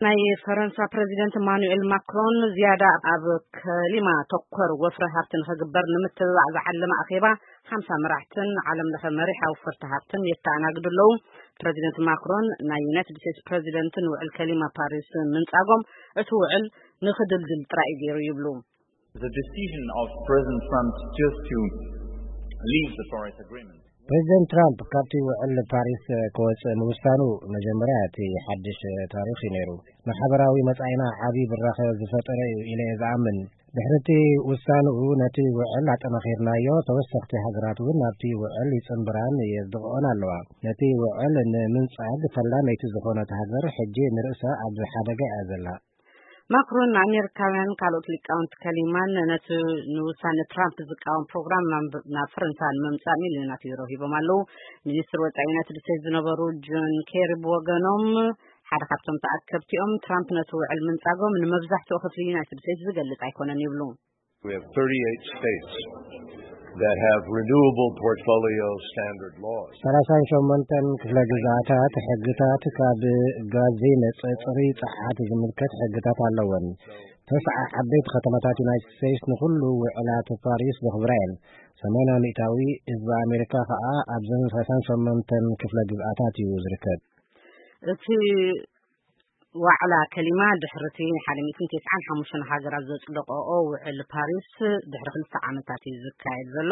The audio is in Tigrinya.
ናይ ፈረንሳ ፕረዚደንት ኢማኑኤል ማክሮን ዝያዳ ኣብ ከሊማ ተኮር ወፍሪ ሃብቲ ንኽግበር ንምትብባዕ ዝዓለመ ኣኼባ ሓምሳ መራሕትን ዓለም ለኸ መሪሕ ኣውፈርቲ ሃብትን የተኣናግዱ ኣለዉ። ፕረዚደንት ማክሮን ናይ ዩናይትድ ስቴትስ ፕረዚደንትን ውዕል ከሊማ ፓሪስ ምንጻጎም እቲ ውዕል ንኽድልድል ጥራይ እዩ ገይሩ ይብሉ። The decision of President Trump just to leave the Paris Agreement ፕሬዚደንት ትራምፕ ካብቲ ውዕል ፓሪስ ክወፅእ ምውሳኑ መጀመርያ እቲ ሓድሽ ታሪኽ እዩ ነይሩ። ማሕበራዊ መጻኢና ዓቢ ብራኸ ዝፈጠረ እዩ ኢለ እየ ዝኣምን። ድሕሪ እቲ ውሳንኡ ነቲ ውዕል ኣጠናኺርናዮ፣ ተወሰኽቲ ሃገራት እውን ናብቲ ውዕል ይጽንብራን የጽድቕኦን ኣለዋ። ነቲ ውዕል ንምንጻግ ፈላመይቲ ዝኾነት ሃገር ሕጂ ንርእሳ ኣብ ሓደጋ እያ ዘላ። ማክሮን ንኣሜሪካውያን ካልኦት ሊቃውንቲ ከሊማን ነቲ ንውሳነ ትራምፕ ዝቃወም ፕሮግራም ናብ ፈረንሳ ንምምጻእ ሚልዮናት ዩሮ ሂቦም ኣለዉ። ሚኒስትር ወጻኢ ዩናይትድ ስቴትስ ዝነበሩ ጆን ኬሪ ብወገኖም ሓደ ካብቶም ተኣከብቲኦም ትራምፕ ነቲ ውዕል ምንጻጎም ንመብዛሕትኡ ክፍሊ ዩናይትድ ስቴትስ ዝገልጽ ኣይኮነን ይብሉ። We have thirty-eight states that have renewable portfolio standard laws. ሰላሳን ሸሞንተን ክፍለ ግዝኣታት ሕግታት ካብ ጋዝ ዘይመጽእ ጽሩይ ጸዓት ዝምልከት ሕግታት ኣለወን። ተስዓ ዓበይቲ ከተማታት ዩናይትድ ስቴትስ ንኹሉ ውዕላት ፓሪስ ዘኽብራ እየን። ሰማንያ ሚእታዊ ህዝቢ ኣሜሪካ ከኣ ኣብዘን ሰላሳን ሸሞንተን ክፍለ ግዝኣታት እዩ ዝርከብ። እቲ ዋዕላ ከሊማ ድሕርቲ ሓደ ሚእትን ተስዓን ሓሙሽተን ሃገራት ዘጽደቀኦ ውዕል ፓሪስ ድሕሪ ክልተ ዓመታት እዩ ዝካየድ ዘሎ።